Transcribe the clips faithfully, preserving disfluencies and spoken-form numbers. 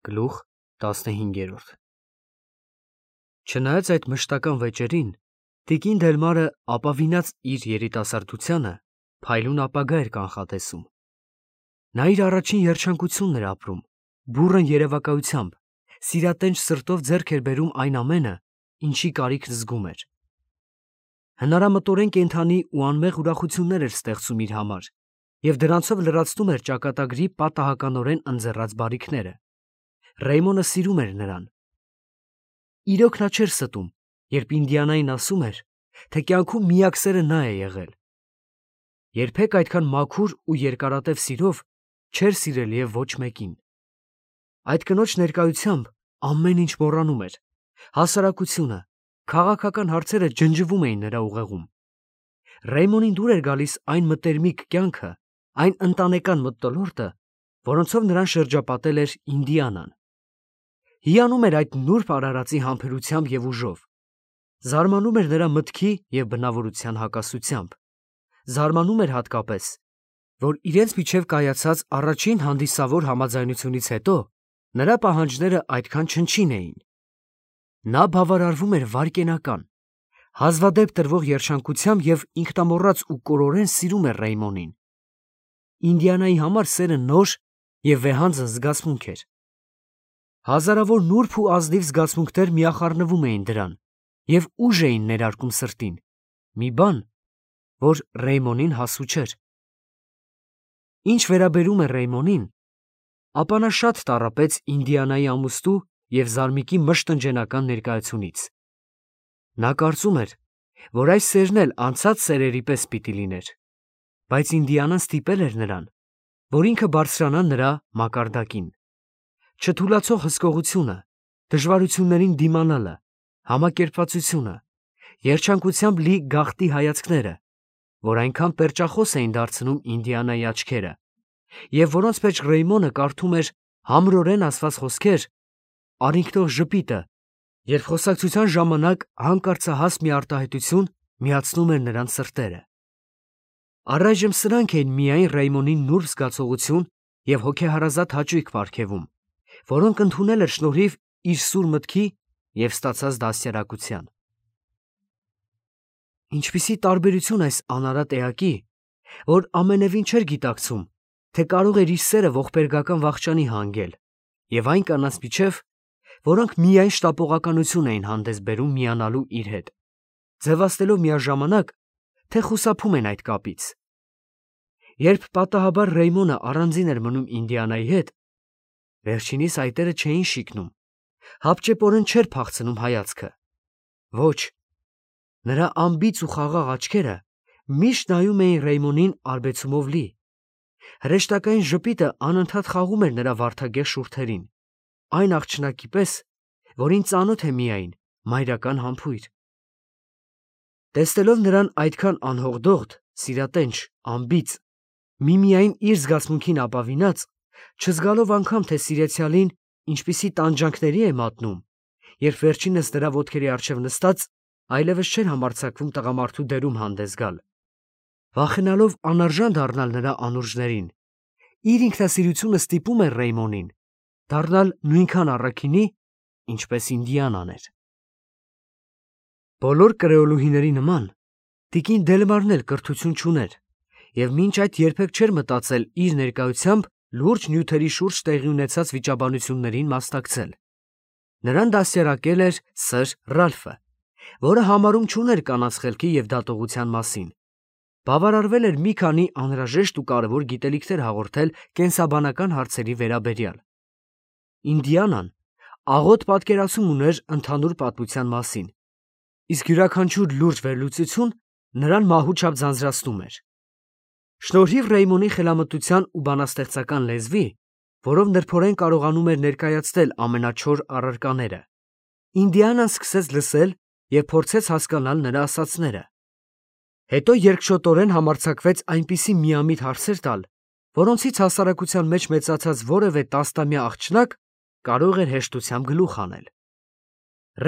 Գլուխ տասնհինգերորդ Չնայած այդ մշտական վեճերին, տիկին Դելմարը ապավինած իր երիտասարդությանը փայլուն ապագա էր կանխատեսում։ Նա իր առաջին երջանկությունն էր ապրում, բուռն երևակայությամբ, սիրատենչ սրտով ձեռք էր բերում այն ամենը, ինչի կարիքն զգում էր։ Հնարամտորեն կենդանի ու անմեղ ուրախություններ էր ստեղծում իր համար և դրանցով լրացնում էր ճակատագրի պատահականորեն ընձեռած բարիքները։ Ռեյմոնը սիրում էր նրան։ Իրոք նա չէր ստում, երբ Ինդիանային ասում էր, թե կյանքում միակ սերը նա է եղել։ Երբեք այդքան մաքուր ու երկարատև սիրով չէր սիրել և ոչ մեկին։ Այդ կնոջ ներկայությամբ ամեն ինչ մոռանում էր, հասարակությունը, քաղաքական հարցերը ջնջվում էին նրա ուղեղում։ Ռեյմոնին դուր էր գալիս այն մտերմիկ կյանքը, այն ընտանեկան մթնոլորտը, որոնցով նրան շրջապատել էր Ինդիանան։ Հիանում էր այդ նուրբ արարածի համբերությամբ և ուժով։ Զարմանում էր նրա մտքի և բնավորության հակասությամբ։ Զարմանում էր հատկապես, որ իրենց միջև կայացած առաջին հանդիսավոր համաձայնությունից հետո նրա պահանջները այդքան չնչին էին։ Նա բավարարվում էր վայրկենական, հազվադեպ տրվող երջանկությամբ և ինքնամոռաց ու կորորեն սիրում էր Ռեյմոնին։ Ինդիանայի համար սերը նոր և վեհանձն զգացմունք էր։ Հազարավոր նուրբ ու ազնիվ զգացմունքներ միախառնվում էին դրան և ուժ էին ներարկում սրտին, մի բան, որ Ռեյմոնին հասու չէր։ Ինչ վերաբերում է Ռեյմոնին, ապա նա շատ տառապեց Ինդիանայի ամուսնու և Զարմիկի մշտնջենական ներկայությունից։ Նա կարծում էր, որ այս սերն էլ անցած սերերի պես պիտի լիներ, բայց Ինդիանան ստիպել էր նրան, որ ինքը բարձրանա նրա մակարդակին։ Չթուլացող հսկողությունը, դժվարություններին դիմանալը, համակերպվածությունը, երջանկությամբ լի գաղտնի հայացքները, որ այնքան պերճախոս էին դարձնում Ինդիանայի աչքերը, և որոնց մեջ Ռեյմոնը կարդում էր համրորեն ասված խոսքեր, արինքնող ժպիտը, երբ խոսակցության ժամանակ հանկարծահաս մի արտահայտություն միացնում էր նրանց սրտերը։ Առայժմ սրանք էին միայն Ռեյմոնին նուրբ զգացողություն և հոգեհարազատ հաճույք պարգևում, որոնք ընդունել էր շնորհիվ իր սուր մտքի և ստացած դաստիարակության։ Ինչպիսի տարբերություն այս անարատ էակի, որ ամենևին չէր գիտակցում, թե կարող էր իր սերը ողբերգական վախճանի հանգել, և այն կանանց միջև, որոնք միայն շտապողականություն էին հանդես բերում միանալու իր հետ, ձևացնելով միաժամանակ, թե խուսափում են այդ կապից։ Երբ պատահաբար Ռեյմոնը առանձին էր մնում Ինդիանայի հետ, վերջինիս այտերը չէին շիկնում, հապճեպորեն չէր փախցնում հայացքը։ Ոչ, նրա անբիծ ու խաղաղ աչքերը միշտ նայում էին Ռեյմոնին արբեցումով լի։ Հրեշտակային ժպիտը անընդհատ խաղում էր նրա վարդագեղ շուրթերին, այն աղջնակի պես, որին ծանոթ է միայն մայրական համբույր։ Տեսնելով նրան այդքան անհողդողդ, սիրատենչ, անբիծ, միմիայն իր զգացմունքին ապավինած, չզգալով անգամ, թե սիրեցյալին ինչպիսի տանջանքների է մատնում, երբ վերջինս նրա ոտքերի առջև նստած այլևս չէր համարձակվում տղամարդու դերում հանդես գալ, վախենալով անարժան դառնալ նրա անուրջներին, իր ինքնասիրությունը ստիպում էր Ռեյմոնին դառնալ նույնքան առաքինի, ինչպես Ինդիանան էր։ Բոլոր կրեոլուհիների նման տիկին Դելմարն էլ կրթություն չուներ և մինչ այդ երբեք չէր մտածել իր ներկայությամբ լուրջ նյութերի շուրջ տեղի ունեցած վիճաբանություններին մասնակցել։ Նրան դաստիարակել էր սըր Ռալֆը, որը համարում չուներ կանանց խելքի և դատողության մասին, բավարարվել էր մի քանի անհրաժեշտ ու կարևոր գիտելիքներ հաղորդել կենսաբանական հարցերի վերաբերյալ։ Ինդիանան աղոտ պատկերացում ուներ ընդհանուր պատմության մասին, իսկ յուրաքանչյուր լուրջ վերլուծություն նրան մահու չափ ձանձրացնում էր։ Շնորհիվ Ռեյմոնի խելամտության ու բանաստեղծական լեզվի, որով նրբորեն կարողանում էր ներկայացնել ամենաչոր առարկաները, Ինդիանան սկսեց լսել և փորձեց հասկանալ նրա ասածները։ Հետո երկչոտորեն համարձակվեց այնպիսի միամիտ հարցեր տալ, որոնցից հասարակության մեջ մեծացած որևէ տասնամյա աղջնակ կարող էր հեշտությամբ գլուխ հանել։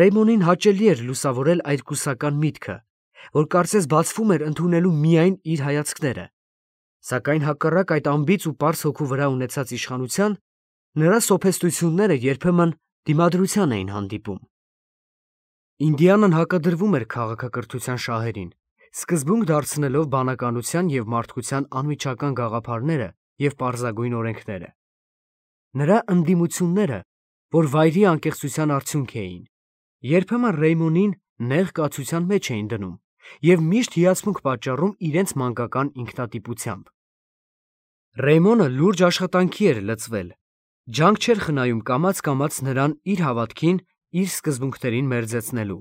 Ռեյմոնին հաճելի էր լուսավորել այդ կուսական միտքը, որ կարծես բացվում էր ընդունելու միայն իր հայացքները, սակայն հակառակ այդ անբիծ ու պարզ հոգու վրա ունեցած իշխանության, Նրա սոփեստությունները երբեմն դիմադրության էին հանդիպում։ Ինդիանան հակադրվում էր քաղաքակրթության շահերին, սկզբունք դարձնելով բանականության և մարդկության անմիջական գաղափարները և պարզագույն օրենքները։ Նրա ընդդիմությունները, որ վայրի անկեղծության արդյունք էին, երբեմն Ռեյմոնին նեղ կացության մեջ էին դնում և միշտ հիացմունք պատճառում իրենց մանկական ինքնատիպությամբ։ Ռեյմոնը լուրջ աշխատանքի էր լծվել, ջանք չէր խնայում կամաց-կամաց նրան իր հավատքին, իր սկզբունքներին մերձեցնելու։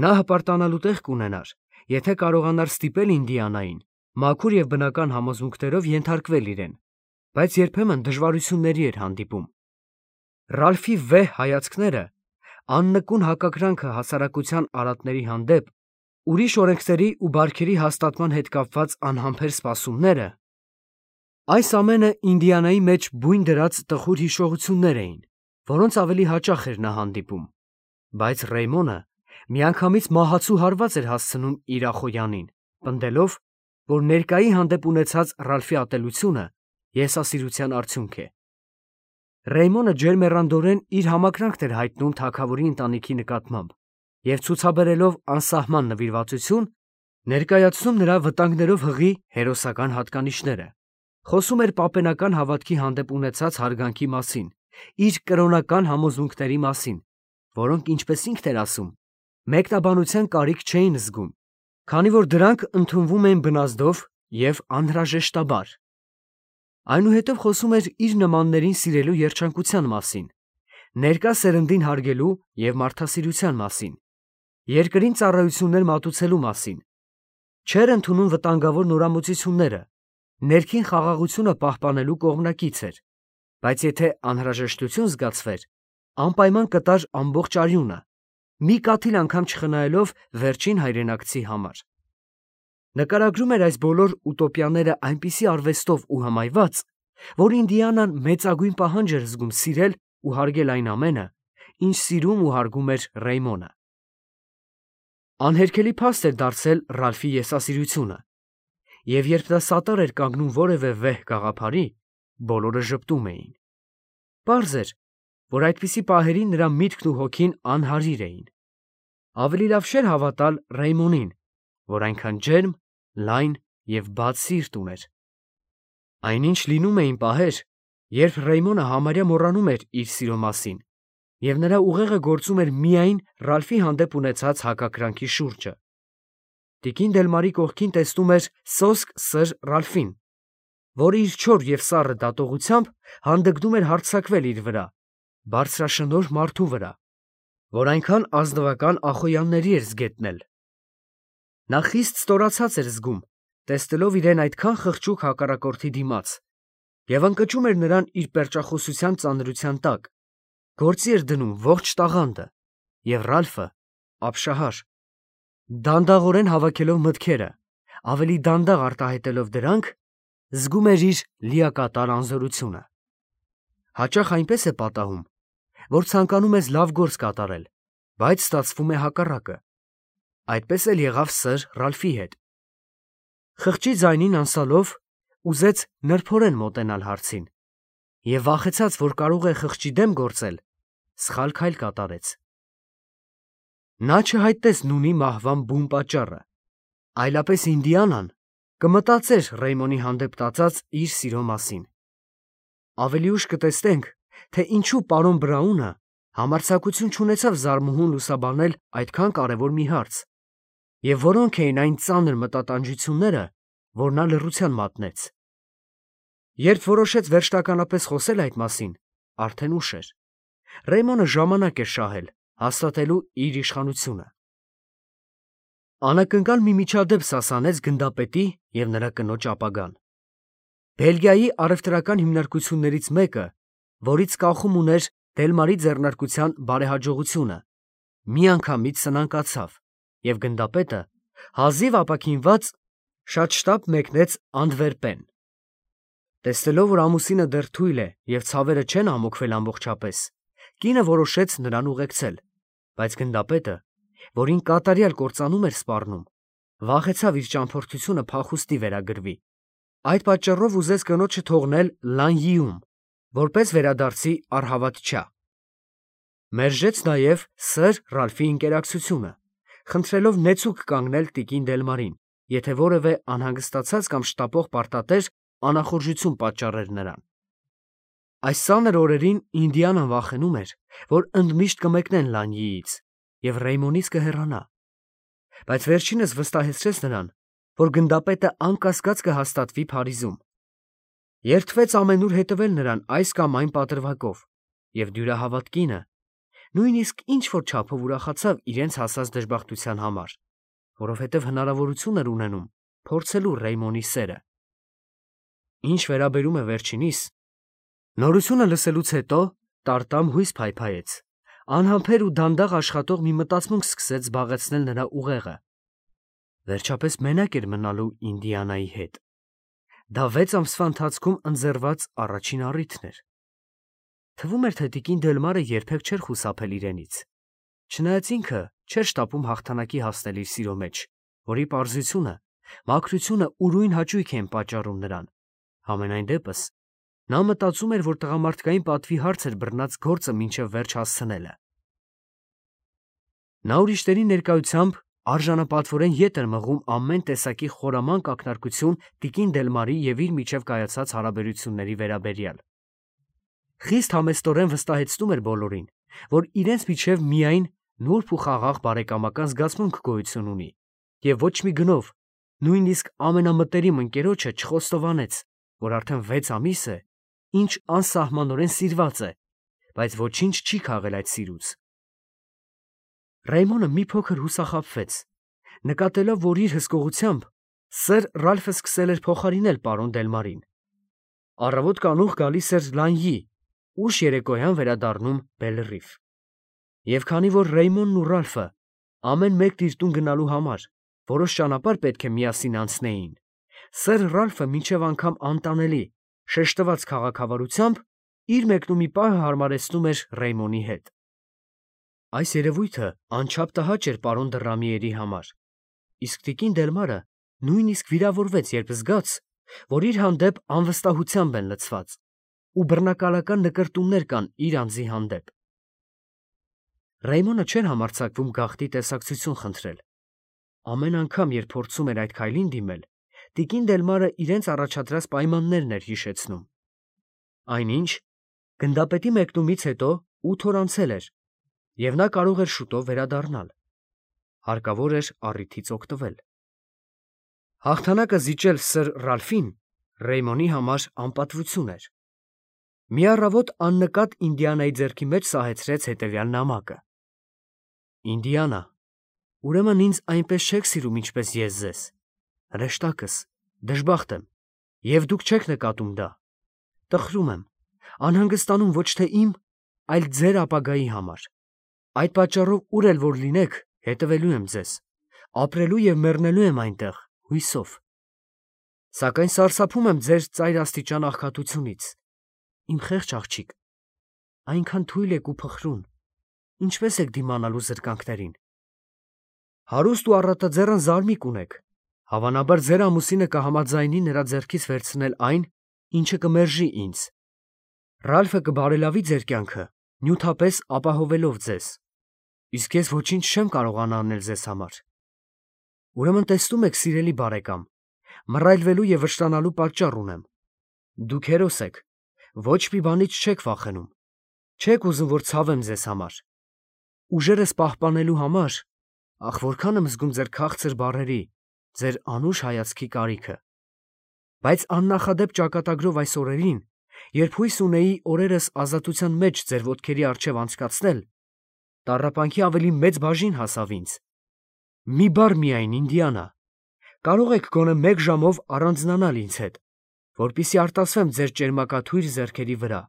Նա հպարտանալու տեղ կունենար, եթե կարողանար ստիպել Ինդիանային մաքուր և բնական համոզմունքներով ենթարկվել իրեն, բայց երբեմն դժվարությունների էր հանդիպում։ Ռալֆի վեհ հայացքները, աննկուն հակակրանքը հասարակության արատների հանդեպ, ուրիշ օրենքների ու բարքերի հաստատման հետ կապված անհամբեր սպասումները, այս ամենը Ինդիանայի մեջ բույն դրած տխուր հիշողություններ էին, որոնց ավելի հաճախ էր նա հանդիպում, բայց Ռեյմոնը միանգամից մահացու հարված էր հասցնում իր Ախոյանին, պնդելով, որ ներկայի հանդեպ ունեցած Ռալֆի ատելությունը եսասիրության արդյունք է։ Ռեյմոնը ջերմեռանդորեն իր համակրանքն էր հայտնում թագավորի ընտանիքի նկատմամբ և ցուցաբերելով անսահման նվիրվածություն, ներկայացնում նրա վտանգներով հղի հերոսական հատկանիշները, խոսում էր պապենական հավատքի հանդեպ ունեցած հարգանքի մասին, իր կրոնական համոզմունքների մասին, որոնք, ինչպես ինքն էր ասում, մեկնաբանության կարիք չէին զգում, քանի որ դրանք ընդունվում էին բնազդով և անհրաժեշտաբար։ Այնուհետև խոսում էր իր նմաններին սիրելու երջանկության մասին, ներկա սերնդին հարգելու և մարդասիրության մասին, երկրին ծառայություններ մատուցելու մասին, չէր ընդունում վտանգավոր նորամուծությունները, ներքին խաղաղությունը պահպանելու կողմնակից էր, բայց եթե անհրաժեշտություն զգացվեր, անպայման կտար ամբողջ արյունը, մի կաթիլ անգամ չխնայելով վերջին հայրենակցի համար։ Նկարագրում էր այս բոլոր ուտոպիաները այնպիսի արվեստով ու հմայված, որ Ինդիանան մեծագույն պահանջ էր զգում սիրել ու հարգել այն ամենը, ինչ սիրում ու հարգում էր Ռեյմոնը։ Անհերքելի փաստ էր դարձել Ռալֆի եսասիրությունը, և երբ նա սատար էր կանգնում որևէ վեհ գաղափարի, բոլորը ժպտում էին։ Պարզ էր, որ այդպիսի պահերին նրա միտքն ու հոգին անհարիր էին։ Ավելի լավ չէր հավատալ Ռեյմոնին, որ այնքան ջերմ, լայն և բաց սիրտ ուներ։ Այնինչ լինում էին պահեր, երբ Ռեյմոնը համարյա մոռանում էր իր սիրո մասին, և նրա ուղեղը գործում էր միայն Ռալֆի հանդեպ ունեցած հակակրանքի շուրջը։ Տիկին Դելմարի կողքին տեսնում էր սոսկ սր Ռալֆին, որը իր չոր և սառը դատողությամբ հանդգնում էր հարձակվել իր վրա, բարձրաշնորհ մարդու վրա, որ այնքան ազնվական Ախոյանների էր զգետնել։ Նա խիստ ստորացած էր զգում, տեսնելով իրեն այդքան խղճուկ հակառակորդի դիմաց, և ընկճում էր նրան իր պերճախոսության ծանրության տակ, գործի էր դնում ողջ տաղանդը, և Ռալֆը ապշահար, դանդաղորեն հավաքելով մտքերը, ավելի դանդաղ արտահայտելով դրանք, զգում էր իր լիակատար անզորությունը։ Հաճախ այնպես է պատահում, որ ցանկանում ես լավ գործ կատարել, բայց ստացվում է հակառակը։ Այդպես էլ եղավ սըր Ռալֆի հետ։ Խղճի ձայնին անցալով ուզեց նրբորեն մոտենալ հարցին և վախեցած, որ կարող է խղճի դեմ գործել, սխալ քայլ կատարեց։ Նա չհայտեց նունի մահվան բուն պատճառը, այլապես Ինդիանան կմտածեր Ռեյմոնի հանդեպ տածած իր սիրո մասին։ Ավելի ուշ կտեսնենք, թե ինչու պարոն Բրաունը համարձակություն չունեցավ զարմուհուն լուսաբանել այդքան կարևոր մի հարց, և որոնք էին այն ծանր մտատանջությունները, որ նա լռության մատնեց։ Երբ որոշեց վերջնականապես խոսել այդ մասին, արդեն ուշ էր։ Ռեյմոնը ժամանակ էր շահել հաստատելու իր իշխանությունը։ Անակնկալ մի միջադեպ սասանեց գնդապետի և նրա կնոջ ապագան։ Բելգիայի առևտրական հիմնարկություններից մեկը, որից կախում ուներ Դելմարի ձեռնարկության բարեհաջողությունը, միանգամից սնանկացավ, և գնդապետը, հազիվ ապաքինված, շատ շտապ մեկնեց Անտվերպեն։ Տեսնելով, որ ամուսինը դեռ թույլ է և ցավերը չեն ամոքվել ամբողջապես, կինը որոշեց նրան ուղեկցել, բայց գնդապետը, որին կատարյալ կործանում էր սպառնում, վախեցավ իր ճամփորդությունը փախուստի վերագրվի։ Այդ պատճառով ուզեց կնոջը թողնել Լանյիում, որպես վերադարձի առհավատչա։ Մերժեց նաև սր Ռալֆի ինկերակցությունը, խնդրելով նեցուկ կանգնել տիկին Դելմարին, եթե որևէ անհանգստացած կամ շտապող պարտատեր անախորժություն պատճառեր նրան։ Այս ծանր օրերին Ինդիանան վախենում էր, որ ընդմիշտ կմեկնեն Լանյիից և Ռեյմոնից կհեռանա, բայց վերջինս վստահեցրեց նրան, որ գնդապետը անկասկած կհաստատվի Փարիզում։ Երդվեց ամենուր հետևել նրան այս կամ այն պատրվակով, և դյուրահավատ կինը նույնիսկ ինչ-որ չափով ուրախացավ իրենց հասած դժբախտության համար, որովհետև հնարավորություն էր ունենում փորձելու Ռեյմոնի սերը։ Ինչ վերաբերում է վերջինիս, նորությունը լսելուց հետո տարտամ հույս փայփայեց, անհամբեր ու դանդաղ աշխատող մի մտածմունք սկսեց զբաղեցնել նրա ուղեղը։ Վերջապես մենակ էր մնալու Ինդիանայի հետ։ Դա վեց ամսվա ընթացքում ընձեռված առաջին առիթն էր։ Թվում էր, թե տիկին Դելմարը երբեք չէր խուսափել իրենից, չնայած ինքը չէր շտապում հաղթանակի հասնել իր սիրո մեջ, որի պարզությունը, մաքրությունը ուրույն հաճույք էին պատճառում նրան։ Համենայն դեպս, նա մտածում էր, որ տղամարդկային պատվի հարց էր բռնած գործը մինչև վերջ հասցնելը։ Նա ուրիշների ներկայությամբ արժանապատվորեն ետ էր մղում ամեն տեսակի խորամանկ ակնարկություն տիկին Դելմարի և իր միջև կայացած հարաբերությունների վերաբերյալ։ Խիստ համեստորեն վստահեցնում էր բոլորին, որ իրենց միջև միայն նուրբ ու խաղաղ բարեկամական զգացմունք գոյություն ունի, և ոչ մի գնով, նույնիսկ ամենամտերիմ ընկերոջը չխոստովանեց, որ արդեն վեց ամիս է, ինչ անսահմանորեն սիրված է, բայց ոչինչ չի քաղել այդ սիրուց։ Ռեյմոնը մի փոքր հուսախաբվեց, նկատելով, որ իր հսկողությամբ սր Ռալֆը սկսել էր փոխարինել պարոն Դելմարին։ Առավոտ կանուխ գալիս էր Լանյի, ուշ երեկոյան վերադառնում Բելրիֆ։ Եվ քանի որ Ռեյմոնն ու Ռալֆը ամեն մեկն իր տուն գնալու համար որոշ ճանապարհ պետք է միասին անցնեին, սր Ռալֆը մինչև անգամ անտանելի, շեշտված քաղաքավարությամբ իր մեկնումի պահը հարմարեցնում էր Ռեյմոնի հետ։ Այս երևույթը անչափ տհաճ էր պարոն Դռամիերի համար, իսկ տիկին Դելմարը նույնիսկ վիրավորվեց, երբ զգաց, որ իր հանդեպ անվստահությամբ են լցված ու բռնակալական նկրտումներ կան իր անձի հանդեպ։ Ռեյմոնը չէր համարձակվում գաղտնի տեսակցություն խնդրել։ Ամեն անգամ, երբ փորձում էր այդ քայլին դիմել, տիկին Դելմարը իրենց առաջադրած պայմաններն էր հիշեցնում։ Այնինչ, գնդապետի մեկնումից հետո ութ օր անցել էր, և նա կարող էր շուտով վերադառնալ։ Հարկավոր էր առիթից օգտվել։ Հաղթանակը զիջել սր Ռալֆին Ռեյմոնի համար անպատվություն էր։ Մի առավոտ աննկատ Ինդիանայի ձեռքի մեջ սահեցրեց հետևյալ նամակը. Ինդիանա, ուրեմն ինձ այնպես չեք սիրում, ինչպես ես ձեզ, հրեշտակս, դժբախտ եմ, և դուք չեք նկատում դա։ Տխրում եմ, անհանգստանում ոչ թե իմ, այլ ձեր ապագայի համար։ Այդ պատճառով ուր էլ որ լինեք, հետևելու եմ ձեզ, ապրելու և մեռնելու եմ այնտեղ, հույսով։ Սակայն սարսափում եմ ձեր ծայրաստիճան աղքատությունից, իմ խեղճ աղջիկ, այնքան թույլ եք ու փխրուն, ինչպես եք դիմանալու զրկանքներին։ Հարուստ ու առատաձեռն զարմիկ ունեք, հավանաբար ձեր ամուսինը կհամաձայնի նրա ձեռքից վերցնել այն, ինչը կմերժի ինձ։ Ռալֆը կբարելավի ձեր կյանքը, նյութապես ապահովելով ձեզ, իսկ ես ոչինչ չեմ կարողանա անել ձեզ համար։ Ուրեմն տեսնում եք, սիրելի բարեկամ, մռայլվելու և վշտանալու պատճառ ունեմ։ Դուք հերոս եք, ոչ մի բանից չեք վախենում, չեք ուզում, որ ցավեմ ձեզ համար։ Ուժերս պահպանելու համար, ախ, որքան եմ զգում ձեր քաղցր բառերի, ձեր անուշ հայացքի կարիքը։ Բայց աննախադեպ ճակատագրով այս օրերին, երբ հույս ունեի օրերս ազատության մեջ ձեր ոտքերի առջև անցկացնել, տառապանքի ավելի մեծ բաժին հասավ ինձ։ Մի բառ միայն, Ինդիանա, կարող եք գոնե մեկ ժամով առանձնանալ ինձ հետ, որպեսզի արտասվեմ ձեր ճերմակաթույր ձեռքերի վրա,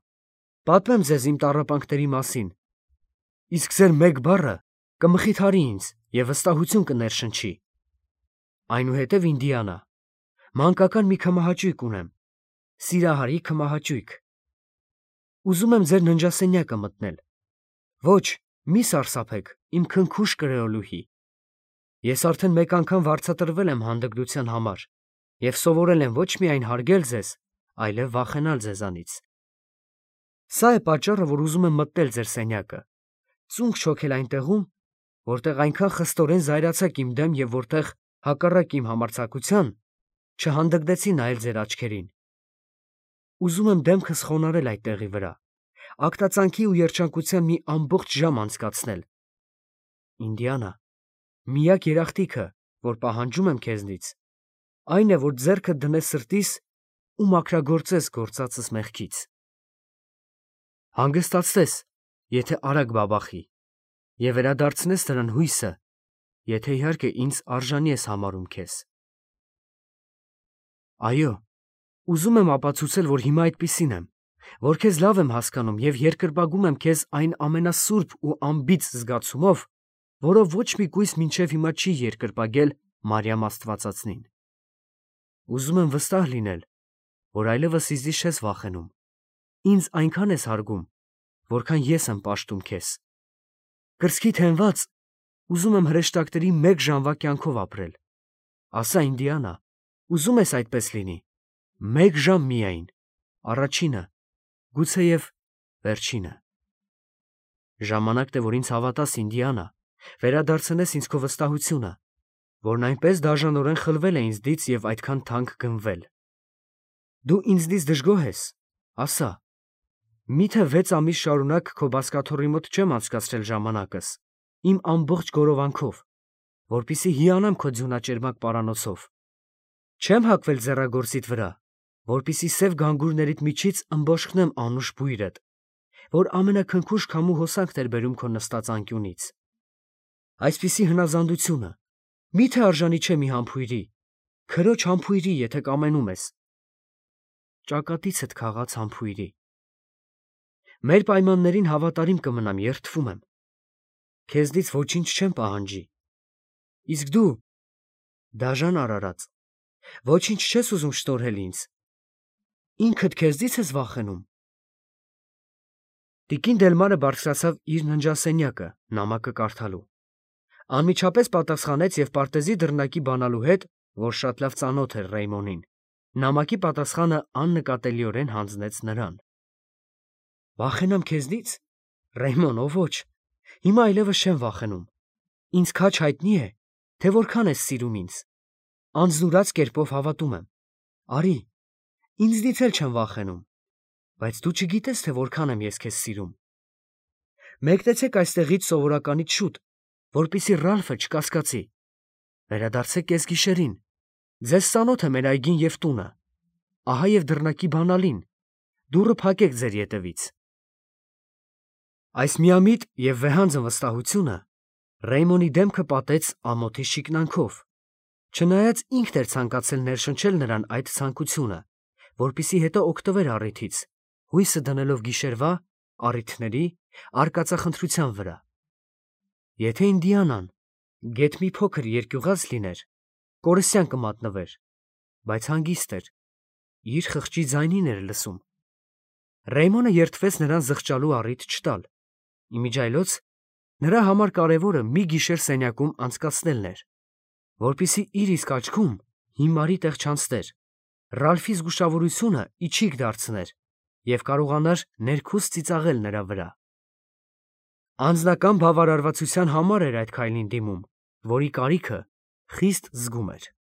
պատմեմ ձեզ իմ տառապանքների մասին, իսկ ձեր մեկ բառը կմխիթարի ինձ և վստահություն կներշնչի։ Այնուհետև, Ինդիանա, մանկական մի քմահաճույք ունեմ, սիրահարի քմահաճույք։ Ուզում եմ ձեր ննջասենյակը մտնել։ Ոչ, մի սարսափեք, իմ քնքուշ կրեոլուհի։ Ես արդեն մեկ անգամ վարձատրվել եմ հանդգնության համար և սովորել եմ ոչ միայն հարգել ձեզ, այլև վախենալ ձեզանից։ Սա է պատճառը, որ ուզում եմ մտնել ձեր սենյակը, ծունկ չոքել այնտեղում, որտեղ այնքան խստորեն զայրացաք իմ դեմ և որտեղ, հակառակ իմ համարձակության, չհանդգնեցի նայել ձեր աչքերին։ Ուզում եմ դեմքս խոնարհել այդ տեղի վրա, ակտածանքի ու երջանկության մի ամբողջ ժամ անցկացնել։ Ինդիանա, միակ երախտիկը, որ պահանջում եմ քեզնից, այն է, որ ձեռքդ դնես սրտիս ու մաքրագործես գործածս մեղքից։ Հանգստացնես, եթե արագ բաբախի, և վերադարձնես նրան հույսը, եթե իհարկե ինձ արժանի ես համարում քեզ։ Այո, ուզում եմ ապացուցել, որ հիմա այդպիսին եմ, որ քեզ լավ եմ հասկանում և երկրպագում եմ քեզ այն ամենասուրբ ու անբիծ զգացումով, որով ոչ մի կույս մինչև հիմա չի երկրպագել Մարիամ Աստվածածնին։ Ուզում եմ վստահ լինել, որ այլևս ինձնից չես վախենում, ինձ այնքան ես հարգում, որքան ես եմ պաշտում քեզ։ Կրծքիդ հենված, ուզում եմ հրեշտակների մեկ ժամվա կյանքով ապրել։ Ասա, Ինդիանա, ուզում ես այդպես լինի։ Մեկ ժամ միայն, առաջինը, գուցեև վերջինը։ Ժամանակն է, որ ինձ հավատաս, Ինդիանա, վերադարձնես ինձ քո վստահությունը, որն այնպես դաժանորեն խլվել է ինձնից և այդքան թանկ գնվել։ Դու ինձնից դժգոհ ես, ասա, միթե վեց ամիս շարունակ քո բազկաթոռի մոտ չեմ անցկացրել ժամանակս, իմ ամբողջ գորովանքով, որպեսզի հիանամ քո ձյունաճերմակ պարանոցով։ Չեմ հագվել ձեռագործիդ վրա, որպեսզի սև գանգուրներիդ միջից ըմբոշխնեմ անուշ բույրդ, որ ամենաքնքուշ քամու հոսանքն էր բերում քո նստած անկյունից։ Այսպիսի հնազանդությունը մի՞թե արժանի չէ մի համբույրի, քրոջ համբույրի, եթե կամենում ես, ճակատիցդ քաղած համբույրի։ Մեր պայմաններին հավատարիմ կմնամ, երդվում եմ։ Քեզնից ոչինչ չեմ պահանջի։ Իսկ դու, դաժան արարած, ոչինչ չես ուզում շնորհել ինձ։ Ինքդ քեզնից ես վախենում։ Տիկին Դելմարը բարձրացավ իր ննջասենյակը, նամակը կարդալու։ Անմիջապես պատասխանեց և պարտեզի դռնակի բանալու հետ, որ շատ լավ ծանոթ էր Ռեյմոնին, նամակի պատասխանը աննկատելիորեն հանձնեց նրան։ Վախենամ քեզնից, Ռեյմոն, ո ոչ, հիմա այլևս չեմ վախենում։ Ինձ քաջ հայտնի է, թե որքան ես սիրում ինձ։ Անձնուրաց կերպով հավատում եմ։ Արի, ինձնից էլ չեմ վախենում, բայց դու չգիտես, թե որքան եմ ես քեզ սիրում։ Մեկնեցեք այստեղից սովորականից շուտ, որպեսզի Ռալֆը չկասկածի։ Վերադարձեք կեսգիշերին։ Ձեզ ծանոթ է մեր այգին և տունը։ Ահա և դռնակի բանալին։ Դուռը փակեք ձեր ետևից։ Այս միամիտ և վեհանձն վստահությունը Ռեյմոնի դեմքը պատեց ամոթի շիկնանքով, չնայած ինքն էր ցանկացել ներշնչել նրան այդ ցանկությունը, որպեսզի հետո օգտվեր առիթից, հույսը դնելով գիշերվա առիթների արկածախնդրության վրա։ Եթե Ինդիանան գեթ մի փոքր երկյուղած լիներ, կորստյան կմատնվեր, բայց հանգիստ էր, իր խղճի ձայնին էր լսում։ Ռեյմոնը երդվեց նրան զղջալու առիթ չտալ։ Իմիջիայլոց նրա համար կարևորը մի գիշեր սենյակում անցկացնելն էր, որպեսզի իր իսկ աչքում հիմարի տեղ չանցներ, Ռալֆի զգուշավորությունը իչիք դարձներ և կարողանար ներքուստ ծիծաղել նրա վրա։ Անձնական բավարարվածության համար էր այդ քայլին դիմում, որի կարիքը խիստ զգում էր։